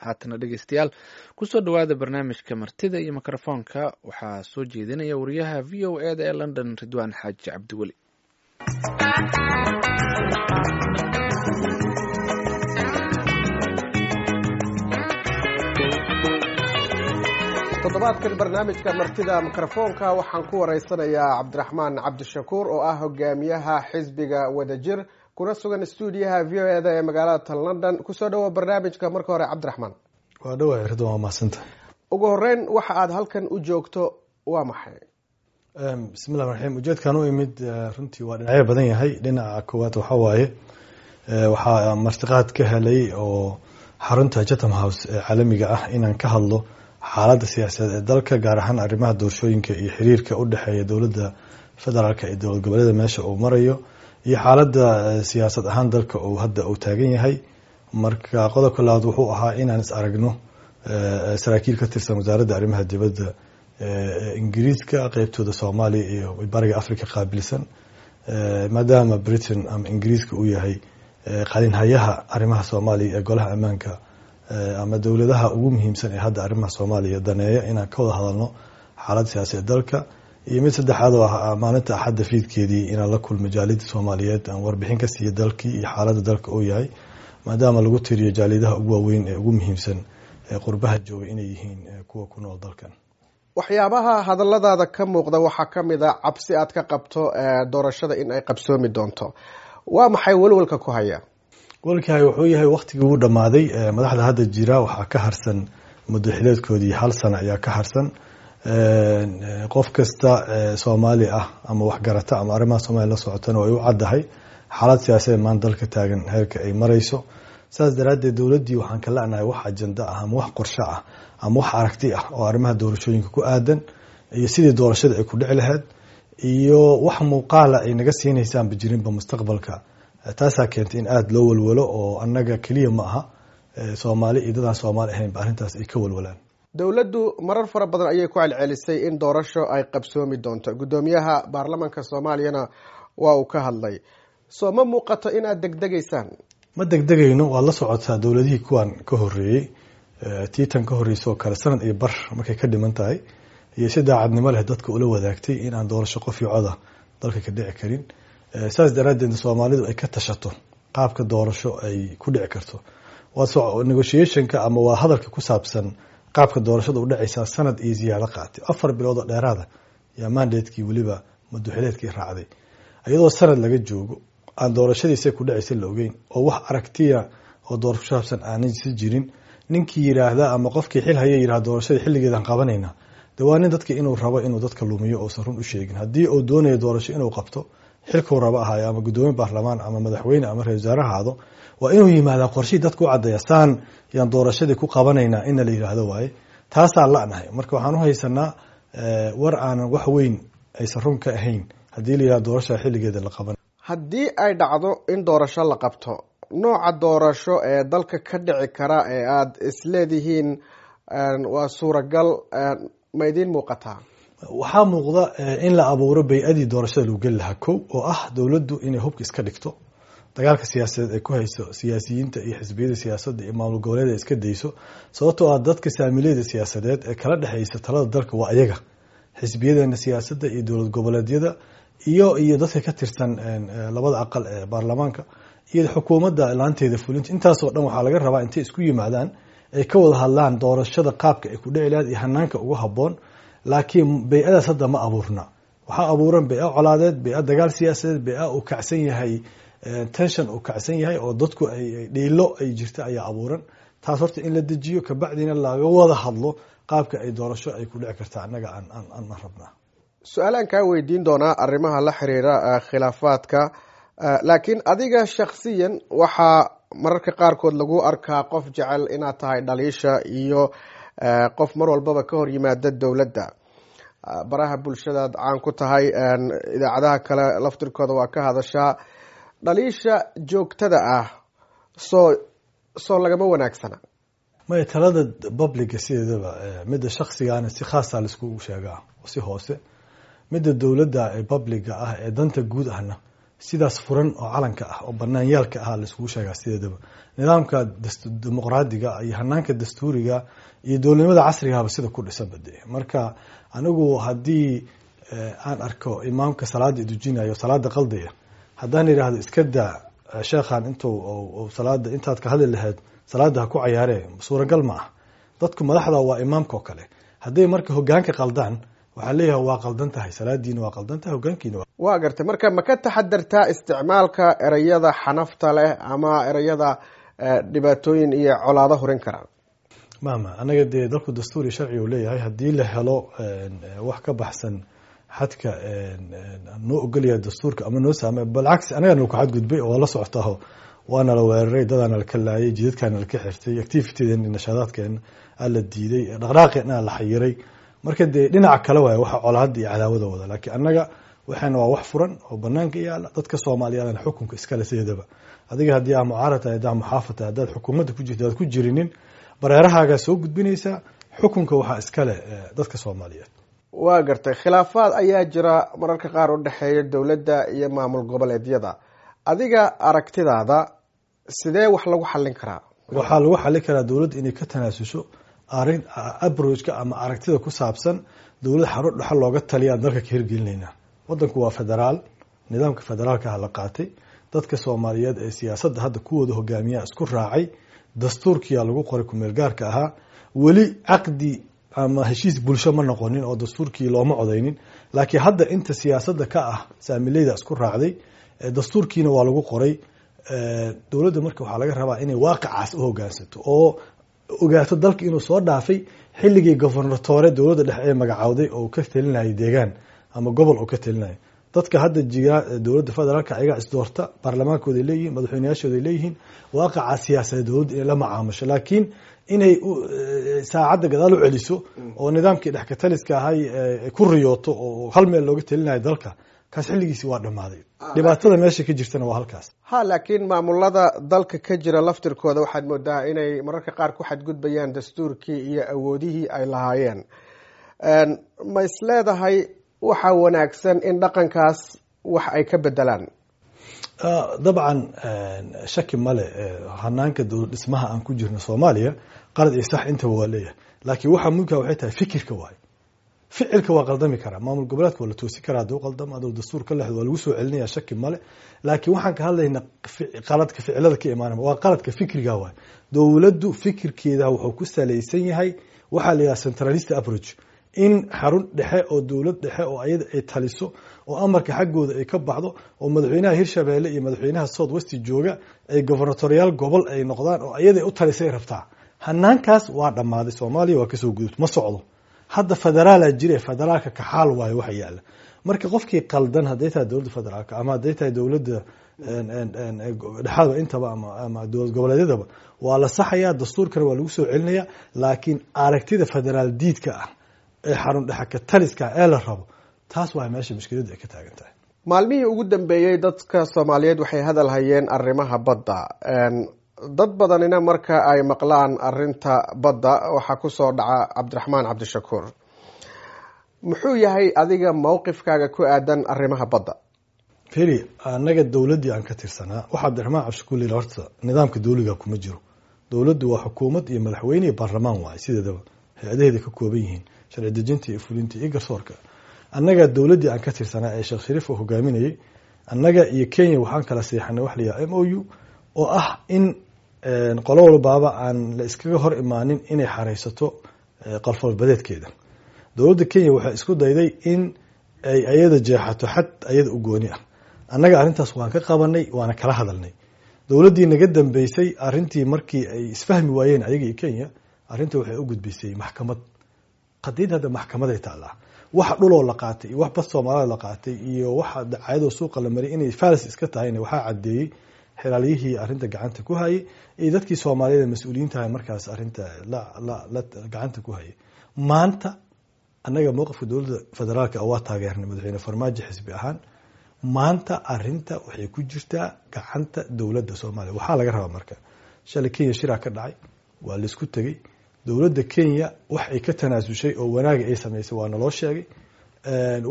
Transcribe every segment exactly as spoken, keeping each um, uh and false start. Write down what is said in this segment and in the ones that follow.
Haatana dhegeystayaal, kusoo dhowaada barnaamijka Martida iyo Mikrofoonka. Waxaa soo jeedinaya wariyaha V O E da ee London, Ridwaan Xaaji Cabdiweli. Toddobaadkan barnaamijka Martida Mikrofoonka waxaan ku wareysanayaa Cabdiraxmaan Cabdishakuur oo ah hogaamiyaha xisbiga Wadajir, kuna sugan stuudiyaha V O E da ee magaalada London. Kusoo dhawo barnaamijka marka hore, Cabdiraxmaan. Waa dhawahay, Ridwan, waa mahadsantahay. Ugu horeyn, waxa aad halkan u joogto waa maxay? Bismillahi raxiim. Ujeedkaan u imid runtii waa dhinacyo badan yahay. Dhinaca koowaad waxaa waaye, waxaa martiqaad ka helay oo xarunta Chatham House ee caalamiga ah inaan ka hadlo xaaladda siyaasadeed ee dalka, gaar ahaan arrimaha doorashooyinka iyo xiriirka u dhexeeya dowladda federaalka iyo dowlad goboleeda meesha uu marayo, iyo xaaladda siyaasad ahaan dalka uu hadda uu taagan yahay. Marka qodobka labaad wuxuu ahaa inaan is aragno saraakiil ka tirsan Wasaaradda Arrimaha Dibadda Ingiriiska, qeybtooda Soomaaliya iyo Bariga Africa qaabilsan, maadaama Britain ama Ingiriiska uu yahay qalinhayaha arrimaha Soomaaliya ee Golaha Ammaanka ama dowladaha ugu muhiimsan ee hadda arrimaha Soomaaliya daneeya, inaan ka wada hadalno xaaladda siyaasadeed dalka. Iyo mid saddexaad oo ah maalinta Axadda fiidkeedii inaan la kulmo jaaliyadda Soomaaliyeed, aan warbixin ka siiyo dalkii iyo xaaladda dalka uu yahay, maadaama lagu tiriyo jaaliyadaha ugu waaweyn ee ugu muhiimsan ee qurbaha jooga inay yihiin kuwa ku nool dalkan. Waxyaabaha hadalladaada ka muuqda waxaa ka mid a cabsi aad ka qabto doorashada in ay qabsoomi doonto. Waa maxay walwalka ku haya? Walkahay wuxuu yahay waktigii uu dhammaaday. Madaxda hadda jira waxaa ka harsan muddo xileedkoodii, hal sano ayaa ka harsan. Qof kasta Soomaali ah ama waxgarata ama arrimaha Soomaaliya la socotana way u caddahay xaalad siyaasadeed maanta dalka taagan heerka ay marayso. Saas daraaddeed dowladdii waxaan ka la'nahay wax ajenda ah ama wax qorshe ah ama wax aragti ah oo arrimaha doorashooyinka ku aadan iyo sidii doorashada ay ku dhici lahayd iyo wax muuqaala ay naga siinaysaanba jirinba mustaqbalka. Taasaa keentay in aada loo walwalo, oo annaga keliya ma aha, Soomaali iyo dadaan Soomaali ahaynba arrintaas ay ka walwalaan. Dowladdu marar fara badan ayay ku celcelisay in doorasho ay qabsoomi doonto. Guddoomiyaha baarlamanka Soomaaliyana waa uu ka hadlay. Soo ma muuqato inaad degdegaysaan? Ma degdegayno. Waad la socotaa dowladihii kuwan ka horreeyey, tiitan ka horreysay oo kale, sanad iyo bar markay ka dhiman tahay iyo si daacadnimo leh dadka ula wadaagtay in aan doorasho qof iyo coda dalka ka dhici karin. Saas daraaddeed Soomaalidu ay ka tashato qaabka doorasho ay ku dhici karto. Waa negotiationka ama waa hadalka ku saabsan qaabka doorashada u dhacaysaa sanad iyo ziyaado qaatay, afar bilood oo dheeraada yaa mandatekii weliba madaxileedkii raacday, iyadoo sanad laga joogo aan doorashadiisa ku dhacaysa la ogeyn oo wax aragtiya oo doorasho ku saabsan aanan si jirin. Ninkii yiraahda ama qofkii xil haya yiraahda doorashada xilligeedan qabanayna, dee waa nin dadka inuu rabo inuu dadka lumiyo uusan run u sheegin. Haddii uu doonayo doorasho inuu qabto, xilkuu rabo ahayo ama guddoomiye baarlamaan ama madaxweyne ama ra-isul wasaare ahaado, waa inuu yimaadaa qorshihii dadka u caddeeya, saan yaan doorashadii ku qabanaynaa inna la yidhaahdo waaye. Taasaa la'nahay. Marka waxaan u haysanaa war aanan wax weyn aysan run ka ahayn haddii la yidhahdo doorashada xilligeeda la qaban. Haddii ay dhacdo in doorasho la qabto, nooca doorasho ee dalka ka dhici kara ee aada isleedihiin waa suuragal ma idiin muuqataa? Waxaa muuqda in la abuuro bay-adii doorashada lagu geli lahaa, kow oo ah dowladdu inay hubka iska dhigto, dagaalka siyaasadeed ay ku hayso siyaasiyiinta iyo xisbiyada siyaasadda iyo maamul goboleeda ay iska dayso, sababtoo ah dadka saamileyda siyaasadeed ee kala dhexeysa talada dalka waa ayaga, xisbiyadeena siyaasadda iyo dowlad goboleedyada iyo iyo dadka ka tirsan labada aqal ee baarlamaanka iyo xukuumadda laanteeda fulinta. Intaasoo dhan waxaa laga rabaa intay isku yimaadaan ay ka wada hadlaan doorashada qaabka ay ku dhici lahayd iyo hanaanka ugu habboon. Laakiin bay-adaas hadda ma abuurna. Waxaa abuuran bay-a colaadeed, bay-a dagaal siyaasadeed, bay-a uu kacsan yahay tension uu kacsan yahay oo dadku ay dhiilo ay jirta ayaa abuuran. Taas horta in la dejiyo, kabacdina laga wada hadlo qaabka ay doorasho ay ku dhici karta annaga aan aan aan rabnaa. Su-aalaan kaa weydiin doonaa arrimaha la xiriira khilaafaadka, laakiin adiga shaksiyan waxaa mararka qaarkood lagu arkaa qof jecel inaad tahay dhaliisha iyo qof mar walbaba ka hor yimaada dowladda. Baraha bulshadaad caan ku tahay, idaacadaha kale laftirkooda waa ka hadashaa. Dhaliisha joogtada ah soo soo lagama wanaagsana? Maya, talada publica sideedaba, midda shaksigaana si khaasa laiskugu sheegaa si hoose, midda dowladda ee publica ah ee danta guud ahna Sidaas furan oo calanka ah oo banaanyaalka ah laiskugu sheegaa sideedaba. Nidaamka dimuqraadiga iyo hanaanka dastuuriga iyo dowladnimada casrigaba sida ku dhisan bade. Marka anigu haddii aan arko imaamka salaada idujinayo, salaada qaldaya, haddaan idhaahdo iska daa sheekhan, intuu salaada intaad ka hadli lahayd salaada ha ku cayaaree, suuragal ma ah. Dadku madaxda waa imaamka oo kale. Hadday marka hogaanka qaldaan, waxaa leeyahay waa qaldan tahay salaadiina, waa qaldan tahay hogaankiina. Waa gartay. Marka ma ka taxadartaa isticmaalka ereyada xanafta leh ama ereyada dhibaatooyin iyo colaado hurin kara? Mama, anaga dee dalku dastuur iyo sharci uu leeyahay. Haddii la helo wax ka baxsan xadka noo ogolyahay dastuurka ama noo saama, balcagsi anaga nal ku xadgudbay oo la socotaho, waana la weeraray, dadaana la kalaayay, jidadkaana laka xirtay, activitydeena, nashaadaadkeena aa la diiday, dhaqdhaqaaqeena la xayiray. Marka dee dhinaca kale waay waxa colaada iyo cadaawada wada, laakiin annaga waxaana waa wax furan oo banaanka yaala. Dadka Soomaaliyeedna xukunka iskale sideedaba. Adiga haddii aa mucaarad tahay, haddaa muxaafad tahay, haddaad xukuumadda ku jirto, aad ku jirinin, bareerahaagaa soo gudbinaysaa. Xukunka waxaa iskale dadka Soomaaliyeed. Waa gartay. Khilaafaad ayaa jira mararka qaar u dhexeeya dowladda iyo maamul goboleedyada. Adiga aragtidaada sidee wax lagu xallin karaa? Waxaa lagu xallin karaa dowladda inay ka tanaasusho arin approachka ama aragtida ku saabsan dowlad xarun dhexe looga taliya aan dalka ka hirgelinaynaa. Wadanku waa federaal, nidaamka federaalka ah la qaatay. Dadka Soomaaliyeed ee siyaasadda hadda kuwooda hogaamiyaa isku raacay, dastuurkiyaa lagu qoray kumeel gaarka ahaa. Weli caqdi ama heshiis bulsho ma noqonin oo dastuurkii looma codeynin, laakiin hadda inta siyaasadda ka ah saamileyda isku raacday, dastuurkiina waa lagu qoray. Dowladda marka waxaa laga rabaa inay waaqicaas u hogaansato oo ogaato dalka inuu soo dhaafay xilligii gobernatore dowladda dhexe ee magacaawday oo ka talinayay deegaan ama gobol oo ka talinaya. Dadka hadda jiga dowladda federaalka ayagaa isdoorta, baarlamaankooday leeyihin, madaxweyneyaashooday leeyihiin. Waaqaca siyaasadeed dowladda inay la macaamusho, laakiin inay saacadda gadaal u celiso oo nidaamkii dhexkataliska ahay ku riyooto oo hal meel looga talinayo dalka, kaas xilligiisi waa dhammaaday. Dhibaatada meesha ka jirtana waa halkaas. Ha, laakiin maamulada dalka ka jira laftirkooda waxaad moodaa inay mararka qaar ku xadgudbayaan dastuurkii iyo awoodihii ay lahaayeen. Ma is leedahay waxaa wanaagsan in dhaqankaas wax ay ka bedelaan? Dabcan, shaki male, hanaanka dowlad dhismaha aan ku jirno Soomaaliya qalad iyo sax intaba waa leeyahay, laakiin waxa muhimka waxay tahay fikirka waaye. Ficilka waa qaldami karaa, maamul goboleedka waa la toosi karaa hadduu qaldamo, hadduu dastuur ka lexdo waa lagu soo celinaya, shaki male. Laakiin waxaan ka hadlaynaa qaladka ficilada ka imaanaya waa qaladka fikriga waay. Dowladdu fikirkeeda wuxuu ku salaysan yahay waxaa la yidhaha centralist approach, in xarun dhexe oo dowlad dhexe oo ayada ay taliso oo amarka xaggooda ay ka baxdo, oo madaxweynaha Hirshabeelle iyo madaxweynaha South West jooga ay governatoriyaal gobol ay noqdaan oo ayada ay u talisay rabtaa. Hanaankaas waa dhammaaday, Soomaaliya waa kasoo gudubta, ma socdo. Hadda federaalaa jire, federaalka kaxaal waayo waxa yaala. Marka qofkii qaldan, hadday tahay dowladda federaalka ama hadday tahay dowladda dhexaadba intaba ama ama dowlad goboleedyadaba, waa la saxayaa, dastuurkana waa lagu soo celinayaa. Laakiin aragtida federaal diidka ah ee xarun dhexe ka taliska ee la rabo, taas waa meesha mushkiladda ay ka taagan tahay. Maalmihii ugu dambeeyey dadka Soomaaliyeed waxay hadal hayeen arrimaha badda. Dad badanina marka ay maqlaan arinta badda waxaa kusoo dhaca Cabdiraxmaan Cabdishakuur. Muxuu yahay adiga mowqifkaaga ku aadan arrimaha badda? Feri, annaga dowladdii aan ka tirsanaa waxa Cabdiraxmaan Cabdishakuur la horta nidaamka dowliga kuma jiro. Dowladdu waa xukuumad iyo madaxweyne iyo baarlamaan waaye, sideedaba hay-adaheeda ka kooban yihiin sharci dejinta iyo fulinta iyo garsoorka. Annaga dowladdii aan ka tirsanaa ee Sheekh Shariif uu hogaaminayay, annaga iyo Kenya waxaan kala seexanay wax la yidhaha M O U, oo ah in qolo walbaaba aan la iskaga hor imaanin inay xareysato qalfoolbadeedkeeda. Dowladda Kenya waxay isku dayday in ay ayada jeexato xad ayada u gooni ah. Annaga arrintaas waan ka qabanay, waana kala hadalnay. Dowladdii naga dambeysay arrintii markii ay isfahmi waayeen ayaga iyo Kenya, arrinta waxay u gudbisay maxkamad. Qadiyad hadda maxkamaday taallaa. Waxa dhuloo la qaatay iyo wax bad Soomaalida la qaatay iyo waxa dacaayadoo suuqa la mariyay inay falis iska tahayna waxaa caddeeyey xilaaliyihii arrinta gacanta ku hayay iyo dadkii Soomaaliyeed ee mas-uuliyiintahay markaas arrinta la la la gacanta ku hayay. Maanta annaga mowqifka dowladda federaalka waa taageernay madaxweyne Farmaajo xisbi ahaan. Maanta arrinta waxay ku jirtaa gacanta dowladda Soomaaliya. Waxaa laga rabaa marka, shalay Kenya shiraa ka dhacay, waa laisku tegey. Dowladda Kenya wax ay ka tanaasushay oo wanaaga ay samaysay waa naloo sheegay.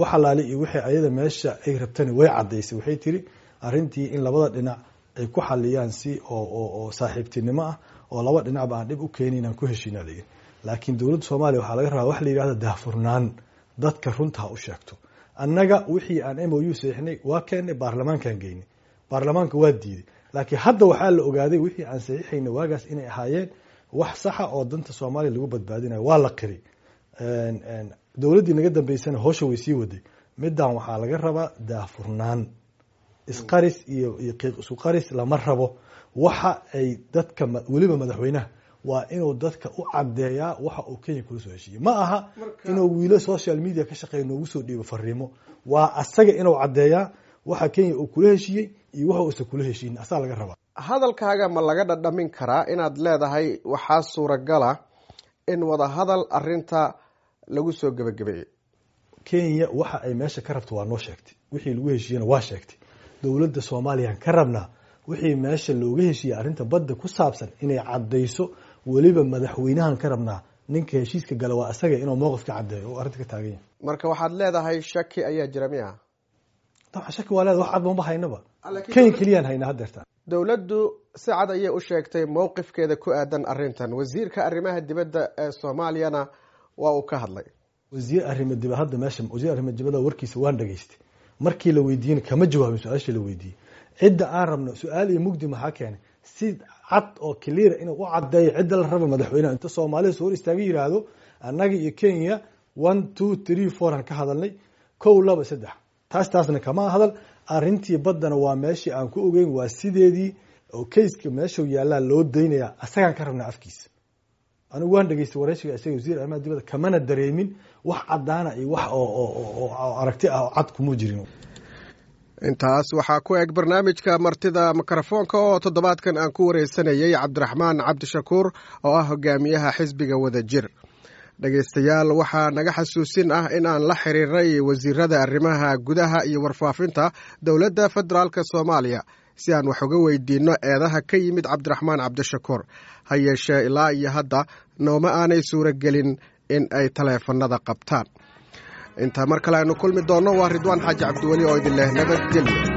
Wax alaali iyo wixii ayada meesha ay rabtana way caddaysay. Waxay tiri Arrintii in labada dhinac ay ku xaliyaan si oo oo saaxiibtinimo ah oo laba dhinacba aan dhib u keenin aan ku heshiinaa layidhi. Laakiin dowladda Soomaaliya waxaa laga rabaa wax la yidhahdo daahfurnaan, dadka runta ha u sheegto. Annaga wixii aan M O U saxiixnay waa keennay, baarlamaankaan geynay, baarlamaanka waa diiday. Laakiin hadda waxaa la ogaaday wixii aan saxiixayna waagaas inay ahaayeen wax saxa oo danta Soomaaliya lagu badbaadinayo, waa la qiri. Dowladdii naga dambeysana howsha way sii waday. Middan waxaa laga rabaa daahfurnaan, isqaris iyo iyo qiiq isu qaris lama rabo. Waxa ay dadka, weliba madaxweynaha, waa inuu dadka u caddeeyaa waxa uu Kenya kula soo heshiiyey. Ma aha inuu wiilo social media ka shaqeeya noogu soo dhiibo fariimo. Waa asaga inuu caddeeyaa waxa Kenya uu kula heshiiyey iyo waxa uusan kula heshiinin, asaa laga rabaa. Hadalkaaga ma laga dhadhamin karaa inaad leedahay waxaa suuragala in wadahadal arinta lagu soo gebagabeeyey? Kenya waxa ay meesha ka rabto waa noo sheegtay, wixii lagu heshiiyena waa sheegtay. Dowladda Soomaaliyaan ka rabnaa wixii meesha looga heshiiyey arrinta badda ku saabsan inay caddayso. Weliba madaxweynahan ka rabnaa, ninka heshiiska gala waa isaga, inuu mowqif ka caddeeyo oo arrinta ka taagan yahay. Marka waxaad leedahay shaki ayaa jira miya? Dabcan shaki waa leedahay, wax cad mama haynaba, Kenya keliyaan haynaa haddeerta. Dowladdu si cad ayay u sheegtay mowqifkeeda ku aadan arrintan, wasiirka arrimaha dibadda ee Soomaaliyana waa uu ka hadlay. Wasiir arrimo dibad hadda meesha, wasiir arrimo dibadda warkiisa waan dhageystay. Markii la weydiiyena kama jawaabin su-aashii la weydiiyey. Cidda aan rabno su-aal iyo mugdi maxaa keenay? Si cad oo clear inuu u caddeeyo cidda la rabo, madaxweynaha inta Soomaalida soo hor istaaga yiraahdo, annaga iyo Kenya one, two, three, four aan ka hadalnay, kow, laba, saddex, taas taasna kama hadal. Arrintii baddana waa meeshii aan ku ogeyn, waa sideedii oo kayska meeshuu yaallaa loo daynayaa, asagaan ka rabnaa afkiisa. Anigu waan dhageystay wareysiga isaga wasiir arrimaha dibadda, kamana dareemin wax caddaana iyo wax oo oo aragti ah oo cad kuma jirin. Intaas waxaa ku eg barnaamijka Martida Mikrofoonka oo toddobaadkan aan ku wareysanayey Cabdiraxmaan Cabdishakuur oo ah hogaamiyaha xisbiga Wadajir. Dhegaystayaal, waxaa naga xasuusin ah in aan la xiriiray wasiirada arrimaha gudaha iyo warfaafinta dowladda federaalka Soomaaliya si aan wax uga weydiinno eedaha ka yimid Cabdiraxmaan Cabdishakuur. Ha yeeshee ilaa iyo hadda nooma aanay suuragelin in ay taleefanada qabtaan. Intaa mar kale aynu kulmi doonno, waa Ridwaan Xaaji Cabdiweli oo idin leh nabadgelyo.